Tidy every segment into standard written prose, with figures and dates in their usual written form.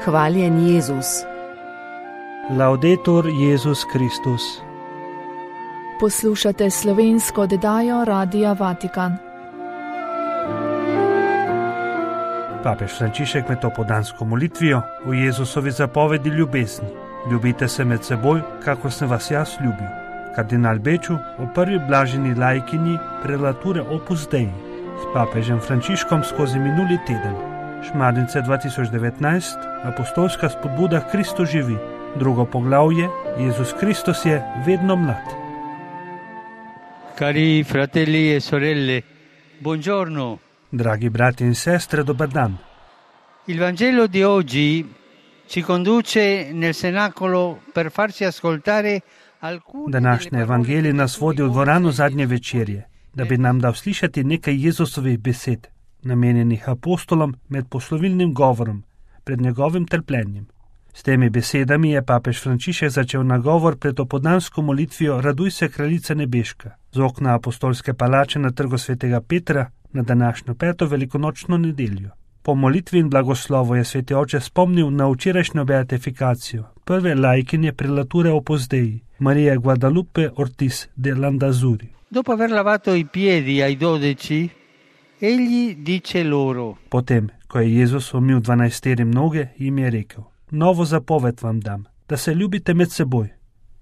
Hvaljen Jezus. Laudetur Jezus Kristus. Poslušate slovensko oddajo Radia Vatikan. Papež Frančišek med opoldansko molitvijo o Jezusovi zapovedi ljubezni. Ljubite se med seboj, kakor sem vas jaz ljubil. Kardinal Beču o prvi blaženi laikinji prelature Opus Dei s papežem Frančiškom skozi minuli teden. Šmarnice 2019, apostolska spodbuda Kristus živi. Drugo poglavje, Jezus Kristus je vedno mlad. Cari fratelli e sorelle, buongiorno. Dragi brati in sestre, dober dan. Il Vangelo di oggi ci conduce nel cenacolo per farci ascoltare alcune. Današnji evangelij nas vodi v dvorano zadnje večerje, da bi nam dal slišati nekaj Jezusovih besed, namenjenih apostolom med poslovilnim govorom pred njegovim trpljenjem. S temi besedami je papež Frančišek začel nagovor pred opoldansko molitvijo Raduj se, kraljica nebeška, z okna apostolske palače na trgu svetega Petra na današnjo 5. velikonočno nedeljo. Po molitvi in blagoslovu je sveti oče spomnil na včerajšnjo beatifikacijo prve laikinje prelature Opus Dei, Marije Guadalupe Ortiz de Landazuri. Dopo aver lavato i piedi ai 12, egli dice loro. Potem, ko je Jezus umil 12 noge, jim je rekel: Novo zapoved vam dam, da se ljubite med seboj.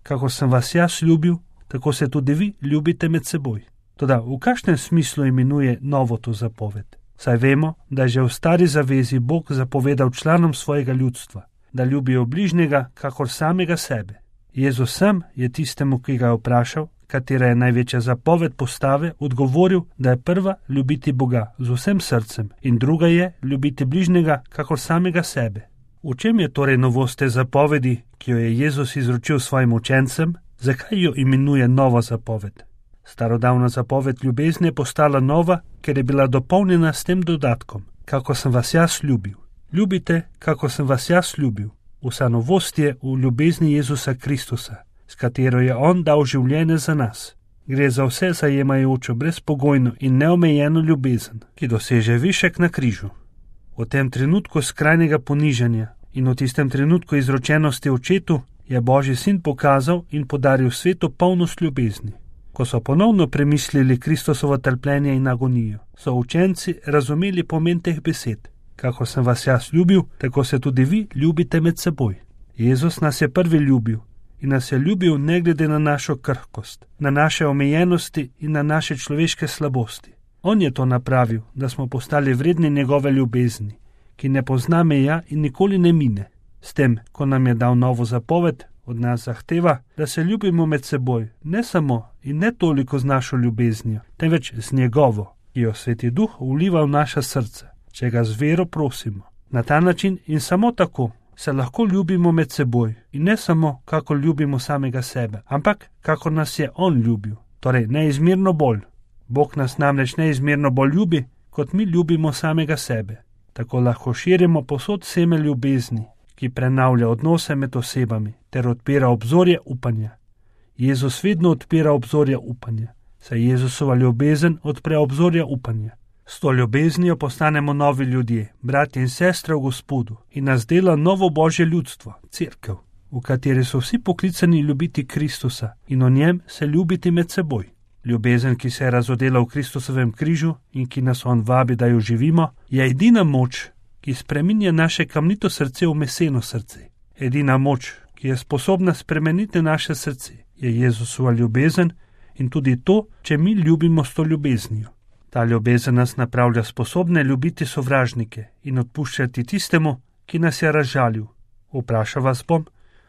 Kako sem vas jaz ljubil, tako se tudi vi ljubite med seboj. Toda v kakšnem smislu imenuje novo to zapoved? Saj vemo, da je že v stari zavezi Bog zapovedal članom svojega ljudstva, da ljubijo bližnjega kakor samega sebe. Jezus sam je tistemu, ki ga je vprašal, katera je največja zapoved postave, odgovoril, da je prva ljubiti Boga z vsem srcem in druga je ljubiti bližnjega kakor samega sebe. V čem je torej novost te zapovedi, ki jo je Jezus izročil svojim učencem? Zakaj jo imenuje nova zapoved? Starodavna zapoved ljubezni je postala nova, ker je bila dopolnjena s tem dodatkom, kako sem vas jaz ljubil. Ljubite, kako sem vas jaz ljubil. Vsa novost je v ljubezni Jezusa Kristusa, s katero je on dal življenje za nas. Gre za vse zajemajočo, brezpogojno in neomejeno ljubezen, ki doseže višek na križu. V tem trenutku skrajnega ponižanja in v tistem trenutku izročenosti očetu je Božji sin pokazal in podaril svetu polnost ljubezni. Ko so ponovno premislili Kristusovo trpljenje in agonijo, so učenci razumeli pomen teh besed. Kako sem vas jaz ljubil, tako se tudi vi ljubite med seboj. Jezus nas je prvi ljubil in nas je ljubil ne glede na našo krhkost, na naše omejenosti in na naše človeške slabosti. On je to napravil, da smo postali vredni njegove ljubezni, ki ne pozna meja in nikoli ne mine. S tem, ko nam je dal novo zapoved, od nas zahteva, da se ljubimo med seboj, ne samo in ne toliko z našo ljubeznijo, temveč z njegovo, ki jo Sveti Duh vliva v naša srca, če ga z vero prosimo. Na ta način in samo tako se lahko ljubimo med seboj in ne samo, kako ljubimo samega sebe, ampak kako nas je on ljubil, torej neizmerno bolj. Bog nas namreč neizmerno bolj ljubi, kot mi ljubimo samega sebe. Tako lahko širimo povsod seme ljubezni, ki prenavlja odnose med osebami ter odpira obzorje upanja. Jezus vedno odpira obzorje upanja, saj Jezusova ljubezen odpre obzorje upanja. S to ljubeznijo postanemo novi ljudje, bratje in sestre v Gospodu in nas dela novo Božje ljudstvo, cerkev, v kateri so vsi poklicani ljubiti Kristusa in o njem se ljubiti med seboj. Ljubezen, ki se je razodela v Kristusovem križu in ki nas on vabi, da jo živimo, je edina moč, ki spreminja naše kamnito srce v meseno srce. Edina moč, ki je sposobna spremeniti naše srce, je Jezusova ljubezen in tudi to, če mi ljubimo s to ljubeznijo. Ta ljubezen nas napravlja sposobne ljubiti sovražnike in odpuščati tistemu, ki nas je razžalil. Vprašal vas bom,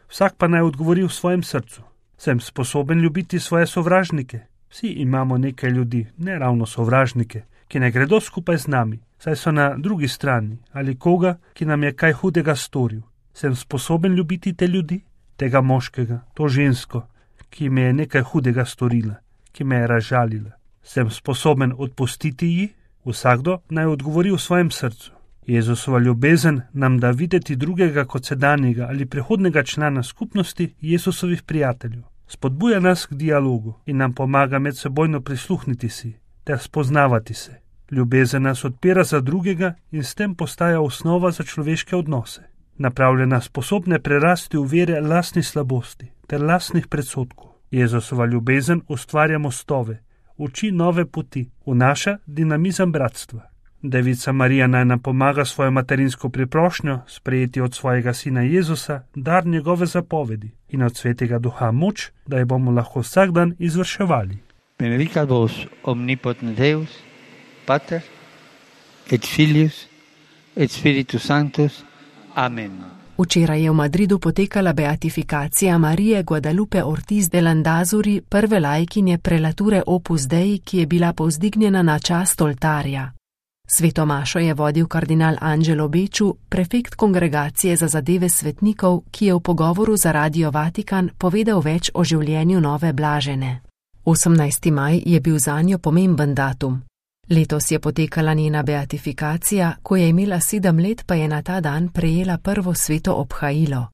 vsak pa naj odgovori v svojem srcu. Sem sposoben ljubiti svoje sovražnike? Vsi imamo nekaj ljudi, ne ravno sovražnike, ki ne gredo skupaj z nami, saj so na drugi strani, ali koga, ki nam je kaj hudega storil. Sem sposoben ljubiti te ljudi, tega moškega, to žensko, ki me je nekaj hudega storila, ki me je razžalila. Sem sposoben odpustiti ji? Vsakdo naj odgovori v svojem srcu. Jezusova ljubezen nam da videti drugega kot sedanjega ali prihodnega člana skupnosti Jezusovih prijateljev. Spodbuja nas k dialogu in nam pomaga medsebojno prisluhniti si ter spoznavati se. Ljubezen nas odpira za drugega in s tem postaja osnova za človeške odnose. napravljena sposobne prerasti v vere lastnih slabosti ter lastnih predsodkov. Jezusova ljubezen ustvarja mostove, uči nove poti, vnaša dinamizem bratstva. Devica Marija naj nam pomaga svojo materinsko priprošnjo sprejeti od svojega sina Jezusa dar njegove zapovedi in od Svetega Duha moč, da jo bomo lahko vsak dan izvrševali. Benedicat vos omnipotent Deus, Pater, et Filius, et Spiritus Sanctus. Amen. Včeraj je v Madridu potekala beatifikacija Marije Guadalupe Ortiz de Landazuri, prve laikinje prelature Opus Dei, ki je bila povzdignjena na čast oltarja. Sveto mašo je vodil kardinal Angelo Becciu, prefekt kongregacije za zadeve svetnikov, ki je v pogovoru za Radio Vatikan povedal več o življenju nove blažene. 18. maj je bil zanjo pomemben datum. Letos je potekala njena beatifikacija, ko je imela 7 let, pa je na ta dan prejela prvo sveto obhajilo.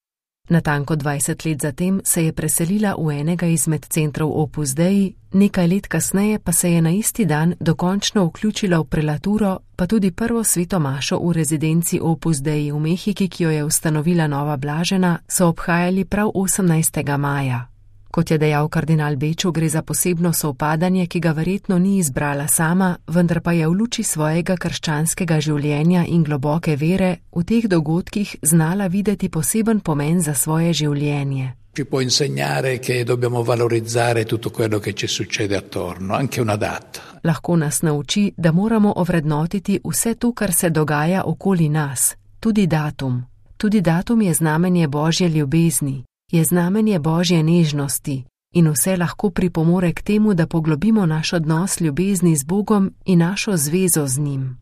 Natanko 20 let zatem se je preselila v enega izmed centrov Opus Dei, nekaj let kasneje pa se je na isti dan dokončno vključila v prelaturo, pa tudi prvo sveto mašo v rezidenci Opus Dei v Mehiki, ki jo je ustanovila nova blažena, so obhajali prav 18. maja. Kot je dejal kardinal Becciu, gre za posebno sovpadanje, ki ga verjetno ni izbrala sama, vendar pa je v luči svojega krščanskega življenja in globoke vere v teh dogodkih znala videti poseben pomen za svoje življenje. Ci può insegnare che dobbiamo valorizzare tutto quello che ci succede attorno, anche una data. Lahko nas nauči, da moramo ovrednotiti vse to, kar se dogaja okoli nas, tudi datum. Tudi datum je znamenje Božje ljubezni. Je znamenje Božje nežnosti in vse lahko pripomore k temu, da poglobimo naš odnos ljubezni z Bogom in našo zvezo z njim.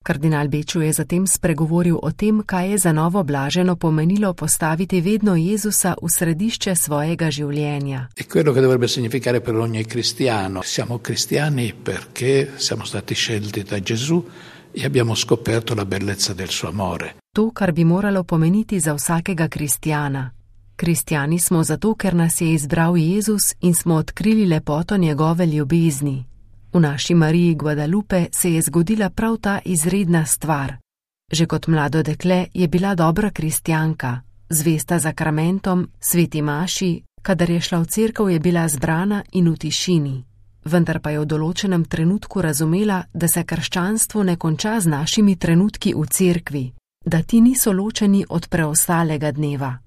Kardinal Becciu je zatem spregovoril o tem, kaj je za novo blaženo pomenilo postaviti vedno Jezusa v središče svojega življenja. E quello che dovrebbe significare per ogni cristiano. Siamo cristiani perché siamo stati scelti da Gesù e abbiamo scoperto la bellezza del suo amore. To, kar bi moralo pomeniti za vsakega kristjana. Kristjani smo zato, ker nas je izbral Jezus in smo odkrili lepoto njegove ljubezni. V naši Mariji Guadalupe se je zgodila prav ta izredna stvar. Že kot mlado dekle je bila dobra kristjanka, zvesta zakramentom, sveti maši, kadar je šla v cerkev, je bila zbrana in v tišini. Vendar pa je v določenem trenutku razumela, da se krščanstvo ne konča z našimi trenutki v cerkvi, da ti niso ločeni od preostalega dneva.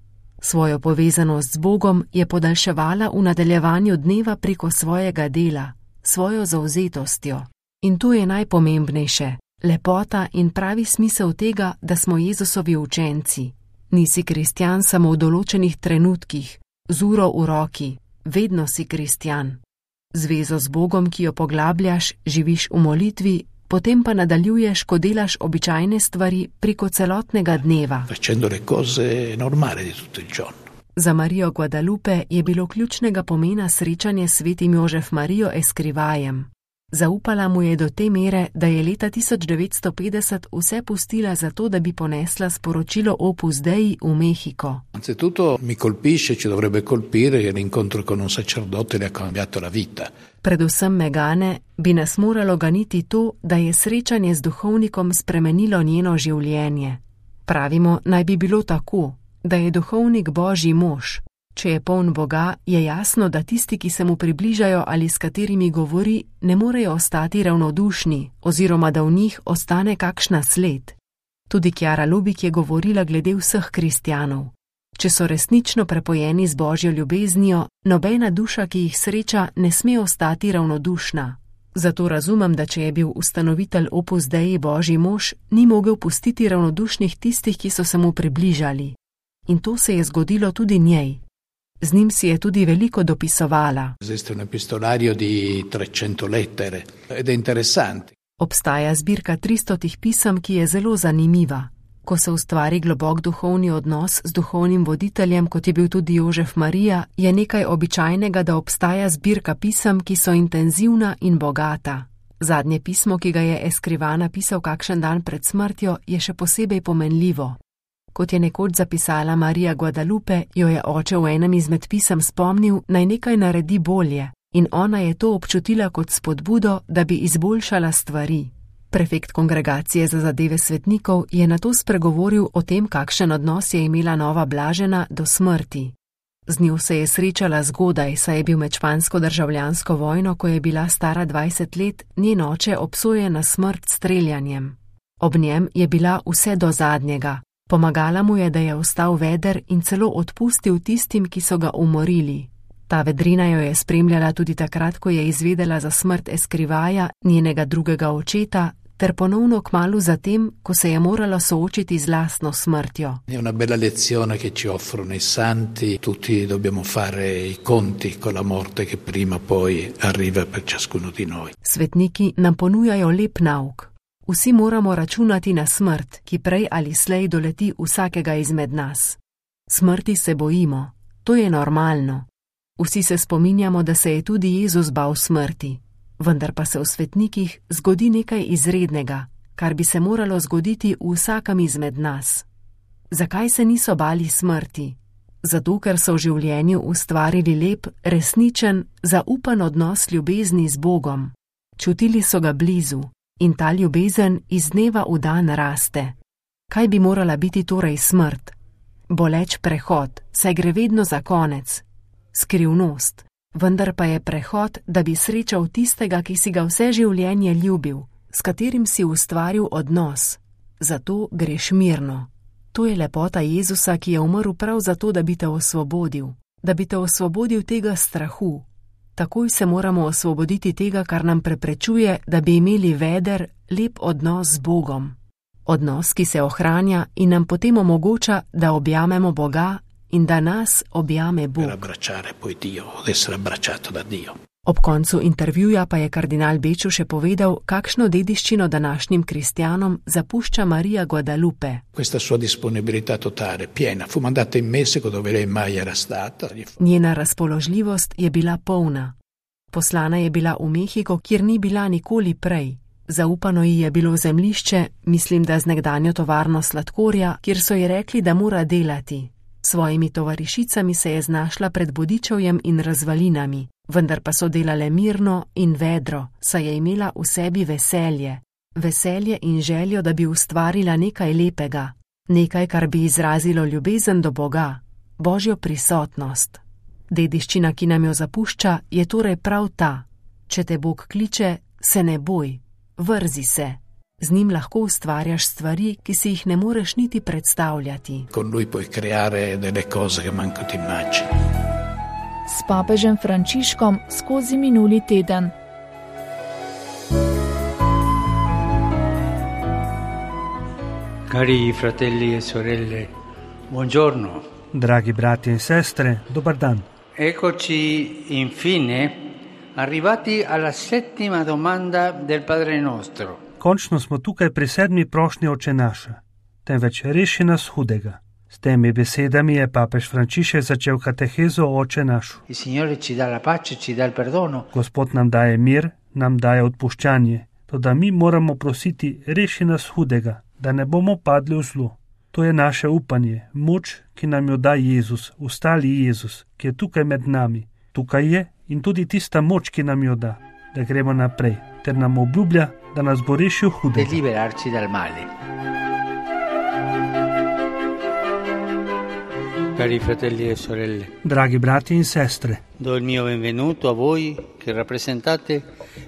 Svojo povezanost z Bogom je podaljševala v nadaljevanju dneva preko svojega dela, svojo zavzetostjo. In to je najpomembnejše, lepota in pravi smisel tega, da smo Jezusovi učenci. Nisi kristjan samo v določenih trenutkih, z uro v roki, vedno si kristjan. Zvezo z Bogom, ki jo poglabljaš, živiš v molitvi, potem pa nadaljuješ, ko delaš običajne stvari preko celotnega dneva. Facendo le cose normali di tutto il giorno. Za Marijo Guadalupe je bilo ključnega pomena srečanje s svetim Jožef Marijo Eskrivajem. Zaupala mu je do te mere, da je leta 1950 vse pustila za to, da bi ponesla sporočilo Opus Dei v Mehiko. Anzitutto mi colpisce, ci dovrebbe colpire, che l'incontro con un sacerdote le ha cambiato la vita. Predvsem me gane, bi nas moralo ganiti to, da je srečanje z duhovnikom spremenilo njeno življenje. Pravimo, naj bi bilo tako, da je duhovnik Božji mož. Če je poln Boga, je jasno, da tisti, ki se mu približajo ali s katerimi govori, ne morejo ostati ravnodušni oziroma da v njih ostane kakšna sled. Tudi Chiara Lubik je govorila glede vseh kristjanov. Če so resnično prepojeni z Božjo ljubeznijo, nobena duša, ki jih sreča, ne sme ostati ravnodušna. Zato razumem, da če je bil ustanovitelj Opus Dei Božji mož, ni mogel pustiti ravnodušnih tistih, ki so se mu približali. In to se je zgodilo tudi njej. Z njim si je tudi veliko dopisovala. Esiste un epistolario di 300 lettere ed è interessante. Obstaja zbirka 300 pisem, ki je zelo zanimiva. Ko se ustvari globok duhovni odnos z duhovnim voditeljem, kot je bil tudi Jožef Marija, je nekaj običajnega, da obstaja zbirka pisem, ki so intenzivna in bogata. Zadnje pismo, ki ga je Escrivá napisal kakšen dan pred smrtjo, je še posebej pomenljivo. Kot je nekoč zapisala Marija Guadalupe, jo je oče v enem izmed pisem spomnil, naj nekaj naredi bolje, in ona je to občutila kot spodbudo, da bi izboljšala stvari. prefekt kongregacije za zadeve svetnikov, je nato spregovoril o tem, kakšen odnos je imela nova Blažena do smrti. Z njo se je srečala zgodaj, saj je bil med špansko državljansko vojno, ko je bila stara 20 let, njen oče obsojen na smrt s streljanjem. Ob njem je bila vse do zadnjega. Pomagala mu je, da je ostal veder in celo odpustil tistim, ki so ga umorili. Ta vedrina jo je spremljala tudi takrat, ko je izvedela za smrt Escrivaja, njenega drugega očeta, ter ponovno kmalu zatem, ko se je morala soočiti z lastno smrtjo. È una bella lezione che ci offrono i santi, tutti dobbiamo fare i conti con la morte che prima o poi arriva per ciascuno di noi. Svetniki nam ponujajo lep nauk. Vsi moramo računati na smrt, ki prej ali slej doleti vsakega izmed nas. Smrti se bojimo, to je normalno. Vsi se spominjamo, da se je tudi Jezus bal smrti, vendar pa se v svetnikih zgodi nekaj izrednega, kar bi se moralo zgoditi v vsakem izmed nas. Zakaj se niso bali smrti? Zato, ker so v življenju ustvarili lep, resničen, zaupan odnos ljubezni z Bogom. Čutili so ga blizu in ta ljubezen iz dneva v dan raste. Kaj bi morala biti torej smrt? Boleč prehod, saj gre vedno za konec. Skrivnost, vendar pa je prehod, da bi srečal tistega, ki si ga vse življenje ljubil, s katerim si ustvaril odnos. Zato greš mirno. To je lepota Jezusa, ki je umrl prav zato, da bi te osvobodil. Da bi te osvobodil tega strahu. Takoj se moramo osvoboditi tega, kar nam preprečuje, da bi imeli veder, lep odnos z Bogom. Odnos, ki se ohranja in nam potem omogoča, da objamemo Boga in da nas objame Bog. Ob koncu intervjuja pa je kardinal Beču še povedal, kakšno dediščino današnjim kristjanom zapušča Marija Guadalupe. Njena razpoložljivost je bila polna. Poslana je bila v Mehiko, kjer ni bila nikoli prej. Zaupano ji je bilo zemljišče, mislim, da z nekdanjo tovarno sladkorja, kjer so ji rekli, da mora delati. Svojimi tovarišicami se je znašla pred bodičevjem in razvalinami, vendar pa so delale mirno in vedro, saj je imela v sebi veselje. Veselje in željo, da bi ustvarila nekaj lepega, nekaj, kar bi izrazilo ljubezen do Boga, Božjo prisotnost. Dediščina, ki nam jo zapušča, je torej prav ta. Če te Bog kliče, se ne boj, vrzi se. Z njim lahko ustvarjaš stvari, ki si jih ne moreš niti predstavljati. S papežem Frančiškom skozi minuli teden. Cari fratelli e sorelle, buongiorno. Dragi brati in sestre, dobar dan. Eccoci infine arrivati alla settima domanda del Padre Nostro. Končno smo tukaj pri 7. prošnji Oče naša, temveč reši nas hudega. S temi besedami je papež Frančišek začel katehezo o Oče našu. Gospod nam daje mir, nam daje odpuščanje, toda mi moramo prositi, reši nas hudega, da ne bomo padli v zlo. To je naše upanje, moč, ki nam jo da Jezus, ustali Jezus, ki je tukaj med nami. Tukaj je in tudi tista moč, ki nam jo da gremo naprej, ter nam obljublja, da nas bo rešil hudega. Liberarci dal male. Cari fratelli e sorelle. Dragi brati in sestre. Do il mio benvenuto a voi che rappresentate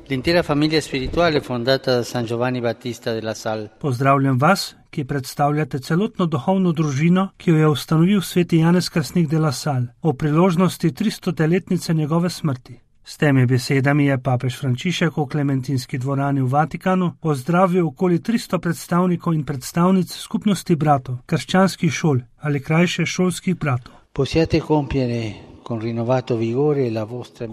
l'intera famiglia spirituale fondata da San Giovanni Battista della Salle. Pozdravljam vas, ki predstavljate celotno duhovno družino, ki jo je ustanovil sveti Janez Krstnik de la Salle o priložnosti 300-letnice njegove smrti. S temi besedami je papež Frančišek v Klementinski dvorani v Vatikanu pozdravil okoli 300 predstavnikov in predstavnic skupnosti bratov, krščanskih šol ali krajše šolskih bratov.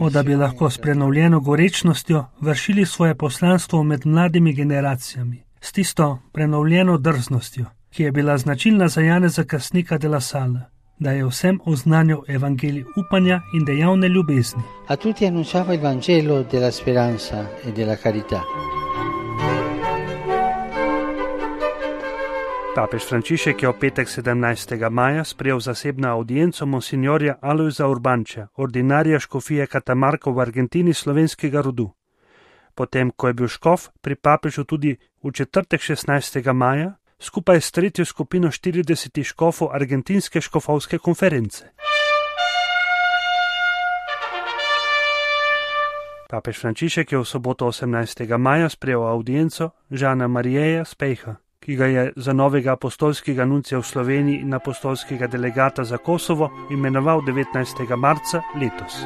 Da bi lahko s prenovljeno gorečnostjo vršili svoje poslanstvo med mladimi generacijami, s tisto prenovljeno drznostjo, ki je bila značilna za Janeza Krstnika de la Salle, da je vsem oznanjal evangelij upanja in dejavne ljubezni. A tutti annunciava il Vangelo della speranza e della carità. Papež Frančišek je v petek 17. maja sprejel zasebno audienco monsignorja Alojza Urbanča, ordinarija škofije Catamarca v Argentini slovenskega rodu. Potem, ko je bil škof pri papežu tudi v četrtek 16. maja, skupaj s tretjo skupino 40 škofov argentinske škofovske konference. Papež Frančišek je v soboto 18. maja sprejel audienco Žana Marijeja Spejha, ki ga je za novega apostolskega nuncija v Sloveniji in apostolskega delegata za Kosovo imenoval 19. marca letos.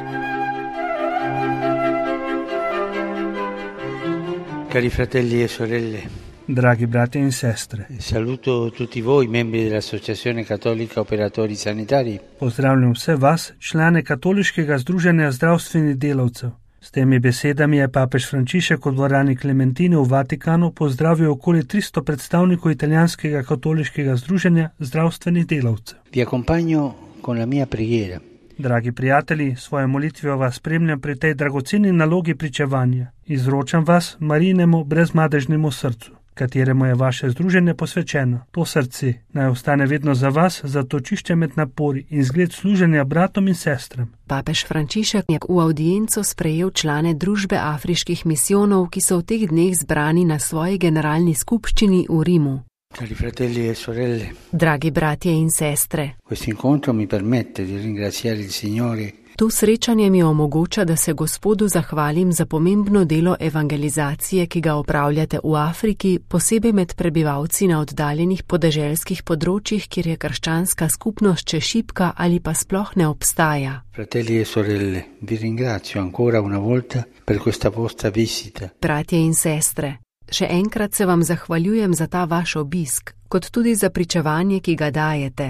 Cari fratelli e sorelle, dragi bratje in sestre, saluto tutti voi, membri dell'Associazione Cattolica Operatori Sanitari. Pozdravljam vse vas, člane Katoliškega združenja zdravstvenih delavcev. S temi besedami je papež Frančišek v dvorani Klementine v Vatikanu pozdravil okoli 300 predstavnikov italijanskega katoliškega združenja zdravstvenih delavcev. Vi accompagno con la mia preghiera. Dragi prijatelji, svojo molitvijo vas spremljam pri tej dragoceni nalogi pričevanja. Izročam vas Marijinemu brezmadežnemu srcu, kateremu je vaše združenje posvečeno. To srce naj ostane vedno za vas, zatočišče med napori in zgled služenja bratom in sestram. Papež Frančišek je v audienco sprejel člane družbe afriških misijonov, ki so v teh dneh zbrani na svoji generalni skupščini v Rimu. Cari fratelli e sorelle, dragi bratje in sestre, questo incontro mi permette di ringraziare il Signore. To srečanje mi omogoča, da se Gospodu zahvalim za pomembno delo evangelizacije, ki ga opravljate v Afriki, posebej med prebivalci na oddaljenih podeželskih področjih, kjer je krščanska skupnost še šibka ali pa sploh ne obstaja. Fratelli e sorelle, vi ringrazio ancora una volta per questa vostra visita. Bratje in sestre, še enkrat se vam zahvaljujem za ta vaš obisk, kot tudi za pričevanje, ki ga dajete.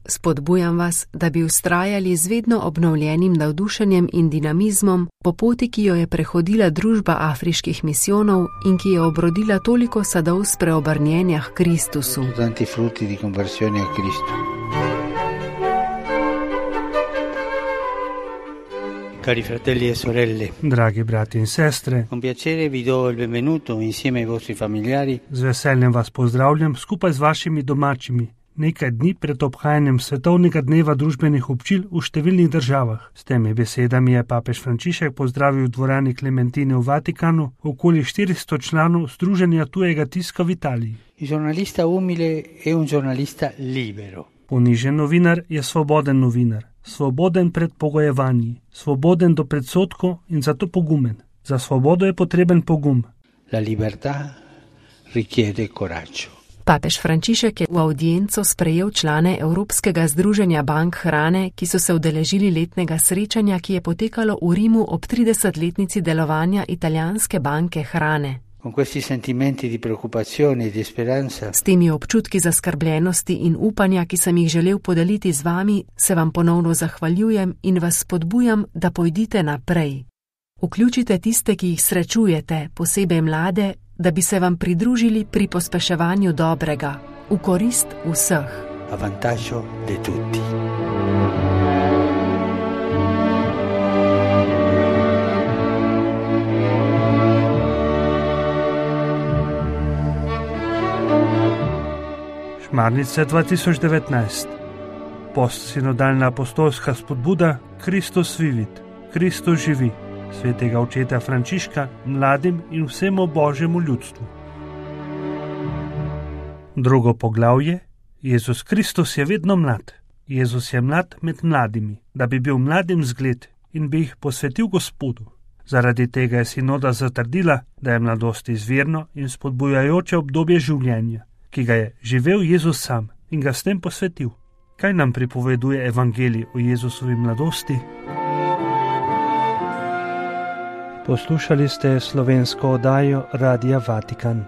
Spodbujam vas, da bi vztrajali z vedno obnovljenim navdušenjem in dinamizmom po poti, ki jo je prehodila družba afriških misijonov in ki je obrodila toliko sadov spreobrnjenja k Kristusu. Tanti frutti di conversione a Cristo. Cari fratelli e sorelle, dragi brati in sestre, con piacere vi do il benvenuto insieme ai vostri familiari. Z veseljem vas pozdravljam skupaj z vašimi domačimi. Nekaj dni pred obhajanjem svetovnega dneva družbenih občil v številnih državah. S temi besedami je papež Frančišek pozdravil v dvorani Klementine v Vatikanu okoli 400 članov Združenja tujega tiska v Italiji. Il giornalista umile è un giornalista libero. Ponižen novinar je svoboden novinar, svoboden pred pogojevanji, svoboden do predsodkov in zato pogumen. Za svobodo je potreben pogum. La libertà richiede coraggio. Papež Frančišek je v audienco sprejel člane Evropskega združenja bank hrane, ki so se udeležili letnega srečanja, ki je potekalo v Rimu ob 30-letnici delovanja italijanske banke hrane. Con questi sentimenti di preoccupazione e di speranza. S temi občutki zaskrbljenosti in upanja, ki sem jih želel podeliti z vami, se vam ponovno zahvaljujem in vas spodbujam, da pojdite naprej. Vključite tiste, ki jih srečujete, posebej mlade, da bi se vam pridružili pri pospeševanju dobrega, v korist vseh. A vantaggio di tutti. Šmarnice 2019. Postsinodalna apostolska spodbuda Kristus vivit, Kristus živi. Svetega očeta Frančiška, mladim in vsemu božjemu ljudstvu. Drugo poglavje. Jezus Kristus je vedno mlad. Jezus je mlad med mladimi, da bi bil mladim zgled in bi jih posvetil Gospodu. Zaradi tega je sinoda zatrdila, da je mladost izvirno in spodbujajoče obdobje življenja, ki ga je živel Jezus sam in ga s tem posvetil. Kaj nam pripoveduje evangelij o Jezusovi mladosti? Poslušali ste slovensko oddajo Radia Vatikan.